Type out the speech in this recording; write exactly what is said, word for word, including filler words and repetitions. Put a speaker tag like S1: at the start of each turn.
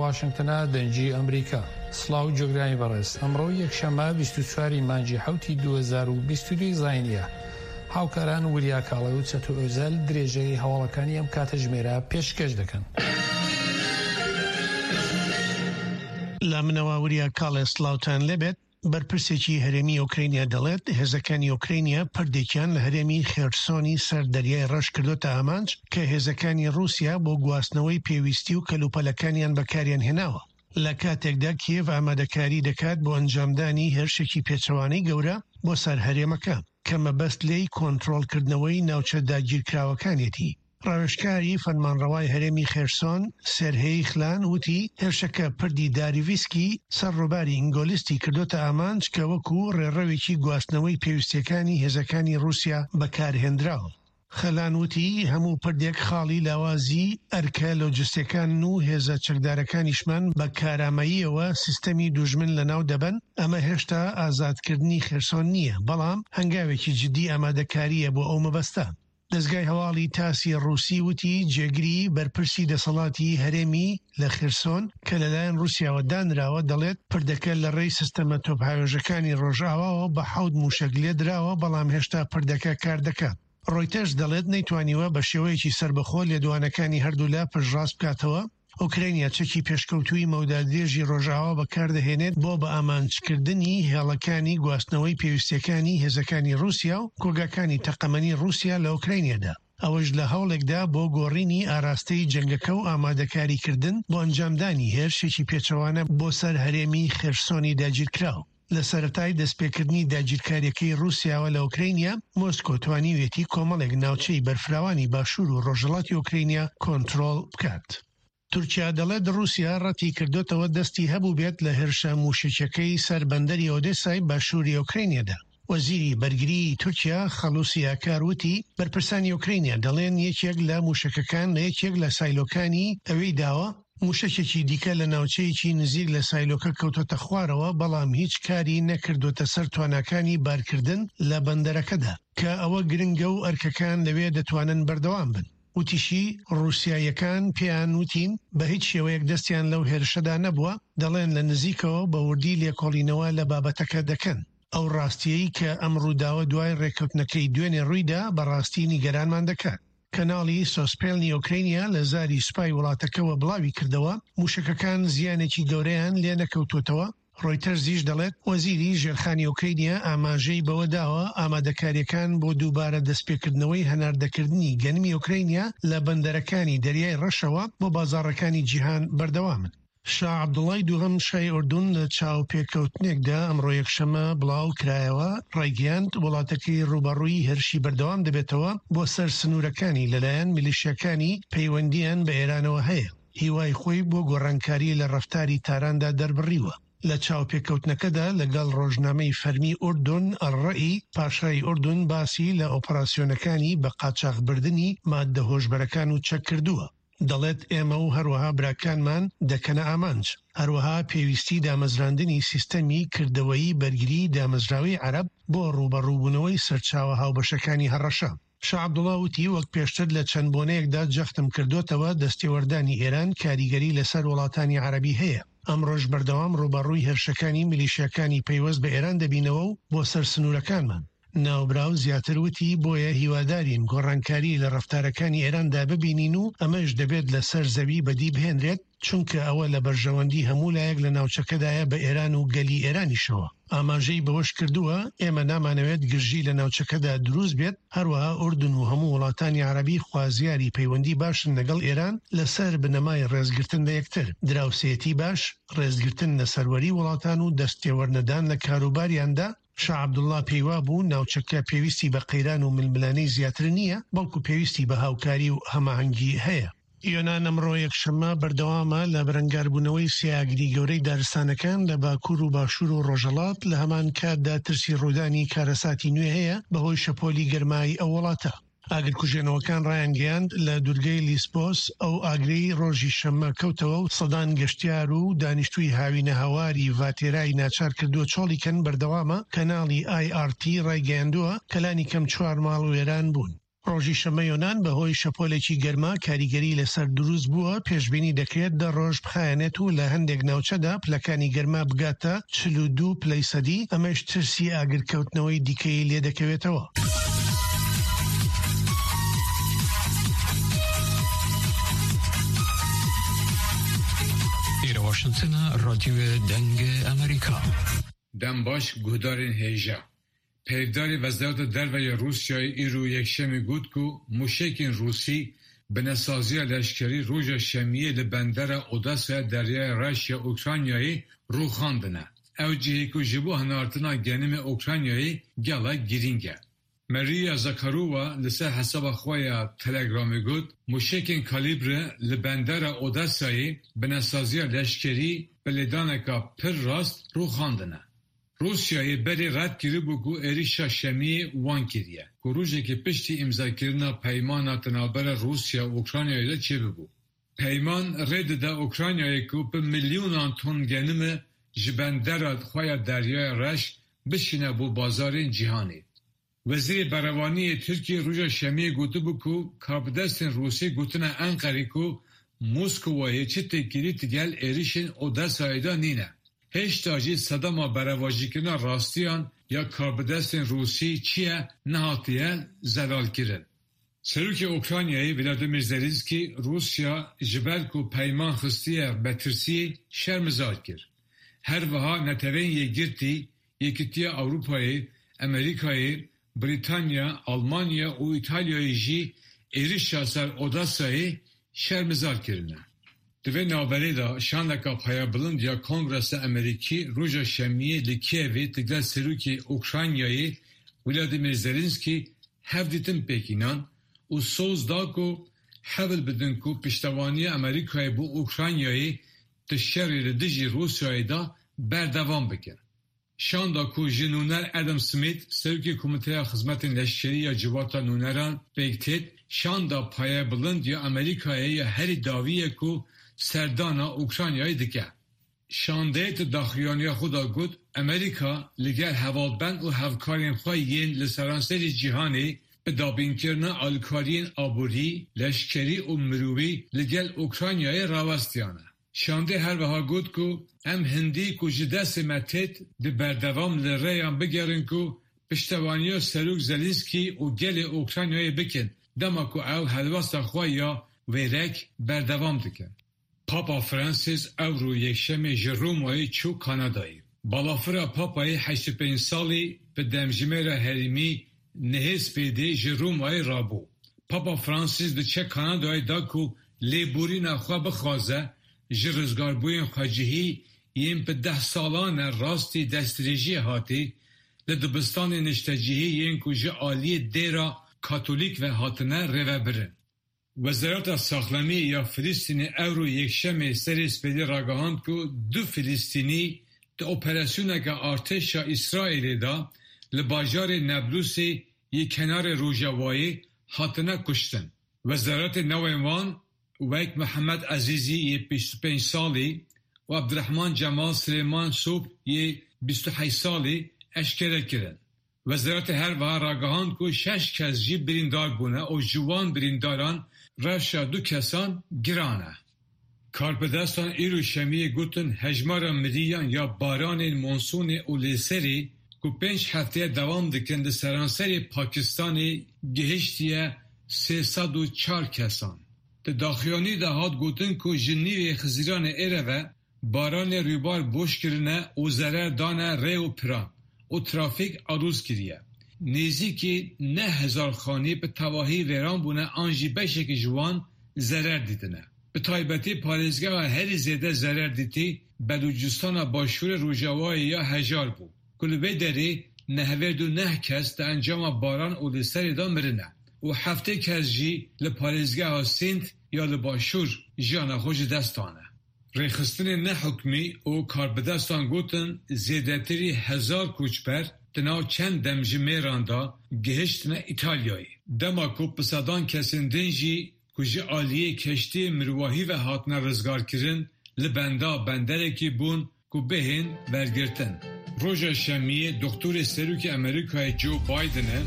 S1: واشنگتنە دەنگی ئەمریکا. سڵاو گوێگرانی بەڕێز، ئەمڕۆ یەکشەممە بیست و چوار ی مانگی حەوتی دوو هەزار و بیست و دوو زاینیە. هاوکاران وریا کاڵێ و چەتۆ ئۆزەل درێژەی هەواڵەکانی ئەم کاتەژمێرە پێشکەش دەکەن.
S2: لە منەوە وریا کاڵێ سڵاوتان لێبێت. بەرپرسێکی هەرێمی ئۆکرینیا دەڵێت هێزەکانی ئۆکرینیا پردێکیان لە هەرێمی خێرسۆنی سەر دەریای ڕەش کردۆتە ئامانج کە هێزەکانی ڕووسیا بۆ گواستنەوەی پێویستی و کەلوپەلەکانیان بەکاریان هێناوە، لە کاتێکدا کیێڤ ئامادەکاری دەکات بۆ ئەنجامدانی هێرشێکی پێچەوانەی گەورە بۆ سەر هەرێمەکە کە مەبەست لێی کۆنترۆڵکردنەوەی ناوچە داگیرکراوەکانیەتی. ڕاوێژکاری فەرمانڕەوای هەرێمی خێرسۆن سێرهێی خلان وتی هێرشەکە پردی داریڤسکی سەر ڕووباری ئینگۆلیستی کردۆتە ئامانج کە وەکو ڕێڕەوێکی گواستنەوەی پێویستیەکانی هێزەکانی ڕووسیا بەکارهێنراوە. خەلان وتی هەموو پردێک خاڵی لاوازی ئەرکە لۆجستیەکانن و هێزە چەکدارەکانیشمان بە کارامەییەوە سیستەمی دوژمن لەناو دەبەن، ئەمە هێشتا ئازادکردنی خێرسۆن نییە، بەڵام هەنگاوێکی جدی ئامادەکارییە بۆ ئەو مەبەستە. دەزگای هەواڵی تاسی ڕووسی وتی جێگری بەرپرسی دەسەڵاتی هەرێمی لە خێرسۆن کە لەلایەن ڕووسیاوە دانراوە دەڵێت پردەکە لە ڕێی سیستەمە تۆپهاوێژەکانی ڕۆژئاواوە بە حەوت موشەک لێدراوە، بەڵام هێشتا پردەکە کار دەکات. ڕۆیتەرز دەڵێت نەیتوانیوە بە شێوەیەکی سەربەخۆ لێدوانەکانی هەردوولا پشتڕاست بکاتەوە. ئۆکرانیا چەکی پێشکەوتووی مەودا درێژی ڕۆژئاوا بەکاردەهێنێت بۆ بە ئامانجکردنی هێڵەکانی گواستنەوەی پێویستیەکانی هێزەکانی ڕووسیا و کۆگاکانی تەقەمەنی ڕووسیا لە ئۆکرانیادا، ئەوەش لە هەوڵێکدا بۆ گۆڕینی ئاراستەی جەنگەکە و ئامادەکاریکردن بۆ ئەنجامدانی هێرشێکی پێچەوانە بۆ سەر هەرێمی خێرسۆنی داگیرکراو. لە سەرەتای دەستپێکردنی داگیرکاریەکەی ڕووسیاوە لە ئۆکرانیا، مۆسکۆ توانیویەتی کۆمەڵێک ناوچەی بەرفراوانی باشوور و ڕۆژهەڵاتی ئۆکرانیا کۆنترۆڵ بکات. تورکیا دەڵێت ڕووسیا ڕەتی کردوتەوە دەستی هەبوو بێت لە هێرشە موشەکیەکەی سەر بەندەری ئۆدێسای باشووری ئۆکرانیادا. وەزیری بەرگری تورکیا خەڵوسی ئاکار وتی بەرپرسانی ئۆکرانیا دەڵێن یەکێک لە موشەکەکان لە یەکێک لە سایلۆکانی ئەوێی داوە، موشەکێکی دیکە لە ناوچەیەکی نزیک لە سایلۆکە کەوتۆتە خوارەوە، بەڵام هیچ کاری نەکردوتە سەر تواناکانی بارکردن لە بەندەرەکەدا کە ئەوە گرنگە و ئەرکەکان لەوێ دەتوانن بەردەوام بن. وتیشی ڕووسیاییەکان پێیان وتین بە هیچ شێوەیەک دەستیان لەو هێرشەدا نەبووە، دەڵێن لە نزیکەوە بە وردی لێکۆڵینەوە لە بابەتەکە دەکەن. ئەو ڕاستیەی کە ئەم ڕووداوە دوای ڕێککەوتنەکەی دوێنێ ڕوویدا بەڕاستی نیگەرانمان دەکات. کەناڵی سۆسپێلنی ئۆکرانیا لە زاری سوپای وڵاتەکەوە بڵاوی کردەوە موشەکەکان زیانێکی گەورەیان لێ نەکەوتوتەوە. ڕۆیتەرزیش دەڵێت وەزیری ژێرخانی ئۆکرانیا ئاماژەی بەوە داوە ئامادەکاریەکان بۆ دووبارە دەستپێکردنەوەی هەناردەکردنی گەنمی ئۆکرانیا لە بەندەرەکانی دەریای ڕەشەوە بۆ بازاڕەکانی جیهان بەردەوامن. شا عەبدوڵای دووهەم شای ئوردون لە چاوپێکەوتنێکدا ئەمڕۆ یەکشەممە بڵاو کرایەوە ڕایگەیاند وڵاتەکەی ڕووبەڕووی هێرشی بەردەوام دەبێتەوە بۆ سەر سنوورەکانی لەلایەن میلیشیاکانی پەیوەندیان بە ئێرانەوە هەیە. هیوای خۆی بۆ گۆڕانکاری لە ڕەفتاری تاراندا دەربڕیوە. لە چاوپێکەوتنەکەدا لەگەڵ ڕۆژنامەی فەرمی ئوردون ئەلڕەئی، پاشای ئوردون باسی لە ئۆپەراسیۆنەکانی بە قاچاخبردنی ماددە هۆشبەرەکان و چەک کردووە. دەڵێت ئێمە و هەروەها براکانمان دەکەنە ئامانج. هەروەها پێویستی دامەزراندنی سیستەمی کردەوەیی بەرگری دامەزراوەی عەرەب بۆ ڕووبەڕووبوونەوەی سەرچاوە هاوبەشەکانی هەڕەشە. شا عەبدوڵا وتی وەک پێشتر لە چەند بۆنەیەکدا جەختم کردوتەوە دەستێوەردانی ئێران کاریگەری لەسەر وڵاتانی عەرەبی هەیە. ئەمڕۆش بەردەوام ڕووبەڕووی هێرشەکانی میلیشیاکانی پەیوەست بە ئێران دەبینەوە و بۆ سەر سنوورەکانمان. ناوبراو زیاتر وتی بۆیە هیوادارین گۆڕانکاری لە ڕەفتارەکانی ئێراندا ببینین و ئەمەش دەبێت لەسەر زەوی بەدی بهێنرێت، چونکە ئەوە لە بەرژەوەندی هەموو لایەک لە ناوچەکەدایە بە ئێران و گەلی ئێرانیشەوە. ئاماژەی بەوەش کردووە ئێمە نامانەوێت گرژی لە ناوچەکەدا دروست بێت، هەروەها ئوردن و هەموو وڵاتانی عەرەبی خوازیاری پەیوەندی باشن لەگەڵ ئێران لەسەر بنەمای ڕێزگرتن لە یەکتر، دراوسێتی باش، ڕێزگرتن لە سەروەری وڵاتان و دەستێوەرنەدان لە کاروباریاندا. شا عەبدوڵا پێیوا بوو ناوچەکە پێویستی بە قەیران و ململانێی زیاتر نییە، بەڵکو پێویستی بە هاوکاری و هەماهەنگی هەیە. یۆنان ئەمڕۆ یەکشەممە بەردەوامە لە بەرەنگاربوونەوەی سێ ئاگری گەورەی دارستانەکان لە باکوور و باشوور و ڕۆژهەڵات، لە هەمان کاتدا ترسی ڕوودانی کارەساتی نوێ هەیە بەهۆی شەپۆلی گەرمای ئەو وڵاتە. ئاگرکوژێنەوەکان ڕایانگەیاند لە دوورگەی لیسبۆس ئەو ئاگرەی ڕۆژی شەممە کەوتەوە و سەدان گەشتیار و دانیشتووی هاوینەهەواری ڤاتێرای ناچار کردووە چۆڵی کەن بەردەوامە. کەناڵی ئای ئاڕ تی ڕایگەیاندووە کە لانی کەم چوار ماڵ وێران بوون. ڕۆژی شەممە یۆنان بەهۆی شەپۆلێکی گەرما کاریگەری لەسەر دروست بووە، پێشبینی دەکرێت دە ڕۆژ بخایەنێت و لە هەندێک ناوچەدا پلەکانی گەرما بگاتە چل و دوو پلەی سەدی، ئەمەش ترسی ئاگرکەوتنەوەی دیکەی لێدەکەوێتەوە.
S3: ئێرە واشنتنە، رادیۆ دەنگ ئەمریکا.
S4: دەم باش guhdarên hêja. Peyvdarê Wezareta Derve ya Rûsyayê îro Yekşemê got ku mûşekên Rûsî binesaziya leşkerî roja şemiyê li bendera Odessaya Deryaya Reş ya Ukraynayê rûxandine. Ew cihê ku ji bo hinartina genimê Ukraynayê gelek girîng e. Maria Zakharova li ser hesaba xwe ya Telegramê got, mûşekên kalîbre li bendera Odessayê binesaziya leşkerî bi lêdaneka pir rast rûxandine. Rûsyayê berê red kiribû ku êrişa şemiyê wan kiriye, ku rojekê piştî îmzakirina peymana di navbera Rûsya û Ukraynayê de çêbibû. Peyman rê dide Ukraynayê ku bi milyonan ton genimê ji bendera xwe ya Deryaya Reş bişîne bo bazarên cîhanê. Wezîrê Berevaniyê Tirkiyê roja şemiyê gotibû ku karbidestên Rûsî gotine Enqerê ku Moskowayê çi têkilî digel êrişên Odessayê de nîne. Hêşta jî sedema berevajîkirina rastiyan ya karbidestên Rûsî çi ye nehatiye zelalkirin. Serokê Ukraynayê Vladimir Zelenskiy Rûsya ji ber ku peyman xistiye betirsiyê şermezar kir. Her wiha Neteweyên Yekgirtî, Yekîtiya Ewropayê, Amerîkayê, Brîtanya, Almanya û İtalyayê jî êrişa ser Odessayê şermezar kirine. Di vê navberê de şandeka payabilind ya Kongresa Amerîkî roja şemiyê li Kievê digel Serokê Ukraynayê Vladimir Zelenskiy hevdîtin pêk înan û soz da ku hewl bidin ku piştevaniya Amerîkayê bo Ukraynayê di şerê li dijî Rûsyayê de berdewam bikin. Şanda ku ji nûner Adam Smith, Serokê Komîteya Xizmetên Leşkerî ya Civata Nûneran pêk tê, şanda payabilind ya Amerîkayê ya herî dawî ye ku serdana Ukraynayê dike. Şandeyê di daxuyaniya xwe de got, Amerîka li gel hevalbend û hevkarên xwe yên li seranserê cîhanê bi dabînkirina alîkariyên aborî, leşkerî û mirovî li gel Ukraynayê rawestiyane. Şandê her wiha got ku em hindî ku ji destê me têt di berdewam li rêyan bigerin ku piştevaniya Serok Zelenskiy û gelê Ukraynayê bikin dema ku ew helwesta xwe ya wêrek berdewam dikin. Papa Francis ewro Yekşemê ji Romayê çû Kanadayê. Balafira Papayê heşt û pênc salî bi demjimêra herêmî nehê spêdê ji Romayê rabû. Papa Francis diçe Kanadayê da ku lêborîna xwe bixwaze ji rizgarbûyên xwecihî yên bi deh salan e rastî destdirêjiyê hatî li dibistanên niştecihî yên ku ji aliyê dêra Katolîk ve hatine rêvebirin. Wezareta Saxlemiyê ya Filistînê ewro Yekşemê serê spêdê ragihand ku du Filistînî di operasyoneke artêşa Îsraîlê de li bajarê Nablusê yê kenarê Rojavayê hatine kuştin. Wezaretê navên wan wek Mihemed Ezîzî yê bîst û pênc salî û Abdurehman Cemal Silêman Sobh yê bîst û heşt salî eşkere kirin. Wezaretê her wiha ragihand ku şeş kes jî birîndar bûne û ji wan birîndaran rewşa du kesan giran e. Karbidestan îro şemiyê gotin hejmara miriyan ya baranên monsonê û lêserê ku pênc hefteye dewam dikin li seranserê Pakistanê gihiştiye sê sed û çar kesan. Di daxuyanî de hat gotin ku ji nîvê Xizîranê êre ve baranê rûbar boş kirine û zerer dane rê û piran û trafîk aloz kiriye. Nêzîkî neh hezar xanî bi tevahî wêran bûne an jî beşekî ji wan zerer dîtine. Bi taybetî parêzgeha herî zêde zerer dîtî Belûcistana Başûrê Rojavayê ya hejar bû ku li vê derê nehevêd û neh kes di encama baran û li serê de mirine û heftê kes jî li parêzgeha Sînd ya li Başûr jiyana xwe ji dest dane. Rêxistinên nehukmî û karbidestan gotin zêdetirî hezar koçber di nav çend demjimêran de gihiştine İtalyayê. Dema ku bi sedan kesên din jî ku ji aliyê keştiyê mirovahî ve hatine rizgarkirin li benda benderekî bûn ku bihên wergirtin. Roja şemiyê doktorê Serokê Amerîkayê Joe Bidenê